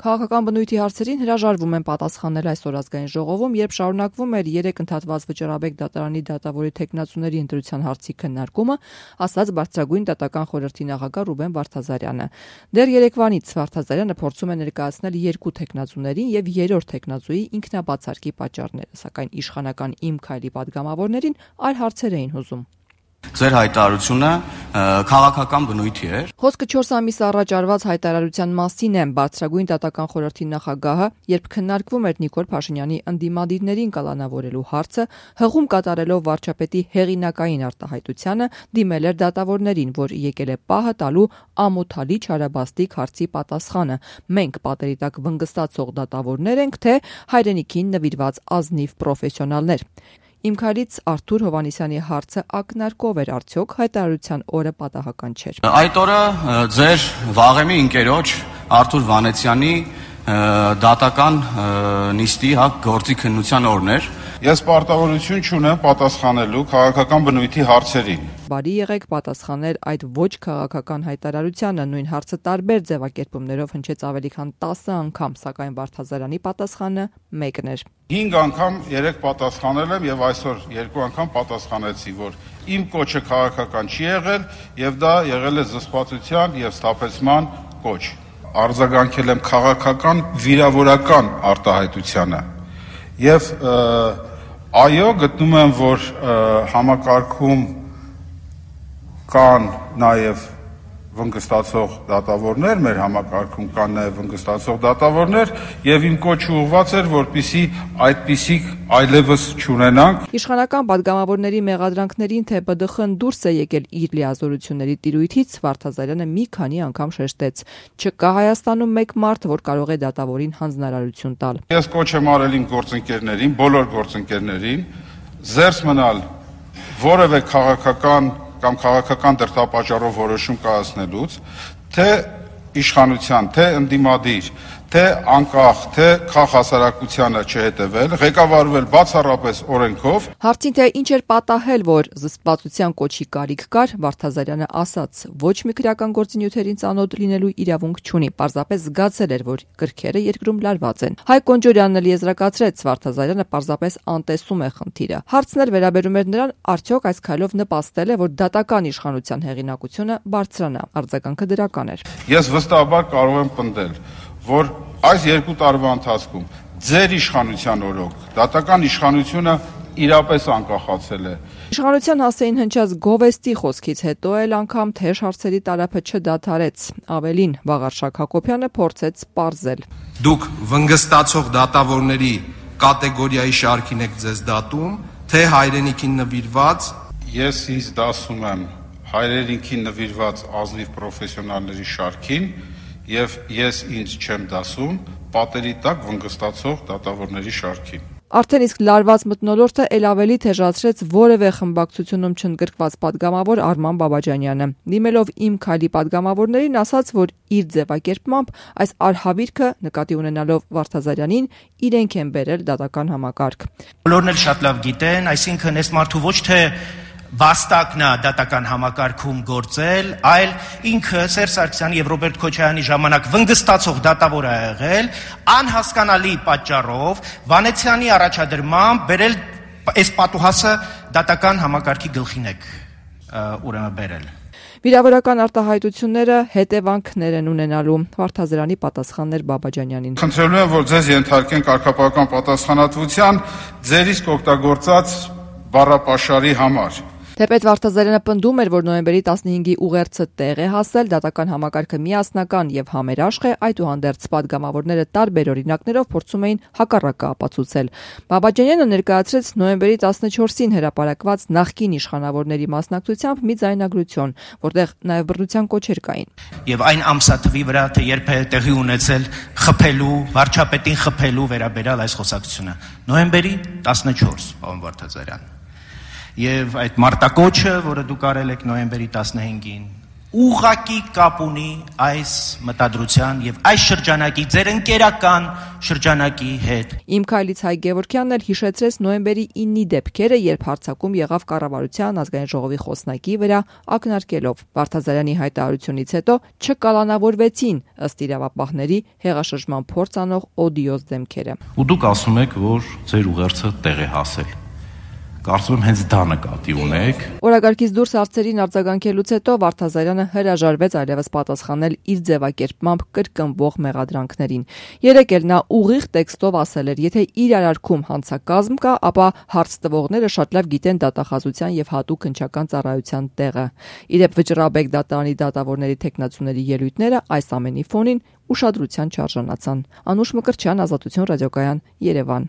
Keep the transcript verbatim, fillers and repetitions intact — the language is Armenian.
Քաղաքական բնույթի հարցերին հրաժարվում են պատասխանել այսօր ազգային ժողովում, երբ շարունակվում էր երեք ընդհատված Վճռաբեկ դատարանի դատավորի թեկնածուների ընտրության հարցի քննարկումը, ասաց Բարձրագույն դատական խորհրդի նախագահ Ռուբեն Վարդազարյանը։ Դեռ երեկվանից Վարդազարյանը փորձում է ներկայացնել երկու թեկնածուներին եւ երրորդ թեկնածուի ինքնաբացարկի պատճառները, սակայն իշխանական Իմ քայլի падգամավորներին այլ հարցեր էին հուզում։ Ձեր հայտարարությունը քաղաքական բնույթի էր։ Խոսքը չորս ամիս առաջ արված հայտարարության մասին է։ Բարձրագույն դատական խորհրդի նախագահը, երբ քննարկվում էր Նիկոլ Փաշինյանի ընդդիմադիրներին կալանավորելու հարցը, հղում կատարելով վարչապետի հեղինակային արտահայտությանը, դիմել էր դատավորներին, որ եկել է պահը տալու ամոթալի չարաբաստիկ հարցի պատասխանը։ Մենք պատերի տակ վնգստացող դատավորներ ենք, թե հայրենիքին նվիրված ազնիվ պրոֆեսիոնալներ։ Իմ քայլից Արթուր Հովհաննիսյանի հարցը ակնարկով էր, արդյոք հայտարարության օրը պատահական չէր։ Այդ օրը ձեր վաղեմի ընկերոջ Արթուր Վանեցյանի դատական նիստի հակ գործի քննության օրն էր։ Ես պարտավորություն չունեմ պատասխանելու քաղաքական բնույթի հարցերին։ Բարի եղեք պատասխանել այդ ոչ քաղաքական հայտարարությանը, նույն հարցը տարբեր ձևակերպումներով հնչեց ավելի քան տասը անգամ, սակայն Վարդազարյանի պատասխանը մեկն էր։ Հինգ անգամ երեք պատասխանել եմ եւ այսօր երկու անգամ պատասխանեցի, որ իմ կոչը քաղաքական չի եղել եւ դա եղել է զսպվածության եւ սթափեցման կոչ։ Արձագանքել եմ քաղաքական վիրավորական արտահայտությանը եւ այո, գտնում եմ, որ համակարգում կան նաև վնգստացող դատավորներ, մեր համակարգում կան նաև վնգստացող դատավորներ եւ իմ կոչը ուղղված էր, որպեսզի այդպիսիք այլևս չունենանք։ Իշխանական падգամավորների մեղադրանքներին, թե Բ ԴԽ Ն դուրս է եկել իր լիազորությունների տիրույթից, Վարդազարյանը մի քանի անգամ շեշտեց. չկա Հայաստանում մեկ մարդ, որ կարող է դատավորին հանձնարարություն տալ։ Ես կոչ եմ արել իմ գործընկերներին, բոլոր գործընկերներին, զերծ մնալ որևէ քաղաքական կամ քաղաքական դրդապատճառով որոշում կայացնելուց, թե իշխանության, թե ընդդիմադիր, թե անկախ, թե քաղաքասարակությանը չհետևել, ղեկավարվել բացառապես օրենքով։ Հարցին, թե ինչ էր պատահել, որ զսպվածության կոչի կարիք կար, Վարդազարյանը ասաց. ոչ մի քրեական գործունեություններին ծանոթ լինելու իրավունք չունի, պարզապես զգացել էր, որ կրքերը երկրում լարված են։ Հայկ Կոնջորյանն էլ եզրակացրեց, Վարդազարյանը պարզապես անտեսում է խնդիրը։ Հարցն էլ վերաբերում էր նրան, արդյոք այս քայլով նպաստել է, որ դատական իշխանության հեղինակությունը բարձրանա։ Արձագանքը դրական էր։ Ես վստահաբար կարող եմ պնդել, որ այս երկու տարվա ընթացքում ձեր իշխանության օրոք դատական իշխանությունը իրապես անկախացել է։ Իշխանության հասեին հնչած գովեստի խոսքից հետո էլ անգամ թեժ հարցերի տարափը չդադարեց։ Ավելին, Վաղարշակ Հակոբյանը փորձեց պարզել. Դուք վնգստացող դատավորների կատեգորիայի շարքին եք ձեզ դատում, թե հայրենիքին նվիրված։ Ես ինձ դասում եմ հայրենիքին նվիրված ազնիվ պրոֆեսիոնալների շարքին եւ ես ինձ չեմ դասում պատերի տակ վնգստացող դատավորների շարքին։ Արդեն իսկ լարված մթնոլորտը ել ավելի թեժացրեց որևէ խմբակցությունում չընդգրկված падգամավոր Արման Բաբաջանյանը։ Դիմելով Իմ քայլի падգամավորներին, ասաց, որ իր ձևակերպմամբ այս արհավիրքը, նկատի ունենալով Վարդազարյանին, իրենք են բերել դատական համակարգ։ Բոլորն էլ շատ լավ գիտեն, այսինքն այս մարդու ոչ թե վաստակն է դատական համակարգում գործել, այլ ինքը Սերժ Սարգսյանի եւ Ռոբերտ Քոչարյանի ժամանակ վնգստացող դատավոր է եղել, անհասկանալի պատճառով Վանեցյանի առաջադրմամբ բերել այս պատուհասը դատական համակարգի գլխին եք ուրեմն բերել։ Վիրավորական արտահայտությունները հետևանքներ են ունենալու։ Վարդազարյանի պատասխաններ Բաբաջանյանին։ Խնդրելու եմ, որ ձեզ ենթարկեն կարգապահական պատասխանատվության ձեր իսկ օգտագործած բառապաշարի համար։ Թեպետ Վարդազարյանը պնդում էր, որ նոյեմբերի տասնհինգի ուղերձը տեղ է հասել, դատական համակարգը միասնական եւ համերաշխ է, այդուհանդերձ падգամավորները տարբեր օրինակներով փորձում էին հակառակը ապացուցել։ Բաբաջանյանը ներկայացրեց նոյեմբերի տասնչորսին հրապարակված նախկին իշխանավորների մասնակցությամբ մի ձայնագրություն, որտեղ նաեւ բռնության կոչեր կային։ Եվ այն ամսաթվի վրա, թե երբ է տեղի ունեցել խփելու, վարչապետին խփելու վերաբերյալ այս խոսակցությունը։ Նոյեմբերի տասնչորս, պարոն Վարդազարյան։ Եվ այդ մարտակոչը, որը դուք արել եք նոյեմբերի տասնհինգին, ուղղակի կապ ունի այս մտադրության եւ այս շրջանակի ձեր ընկերական շրջանակի հետ։ Իմ քայլից Հայ Գևորգյանն էլ հիշեցրեց նոյեմբերի իննի դեպքերը, երբ հարձակում եղավ կառավարության ազգային ժողովի խոսնակի վրա ակնարկելով Վարդազարյանի հայտարարությունից հետո չկալանավորվեցին ըստ իրավապահների հեղաշրջման փորձ անող օդիոզ դեմքերը։ Ու դուք ասում եք, որ ձեր ուղերձը տեղ է հասել։ Կարծում եմ հենց դա նկատի ունեք։ Օրակարգից դուրս հարցերին արձագանքելուց հետո Վարդազարյանը հրաժարվեց այլևս պատասխանել իր ձևակերպմամբ կրկնվող մեղադրանքներին։ Երեկ էլ նա ուղիղ տեքստով ասել էր, եթե իրարարքում հանցակազմ կա, ապա հարց տվողները շատ լավ գիտեն դատախազության եւ հատուկ հնչական ծառայության տեղը։ Իդեպ Վճռաբեկ դատարանի դատավորների թեկնածուների ելույթները այս ամենի ֆոնին ուշադրության չարժանացան։ Անուշ Մկրտչյան, Ազատություն ռադիոկայան, Երևան։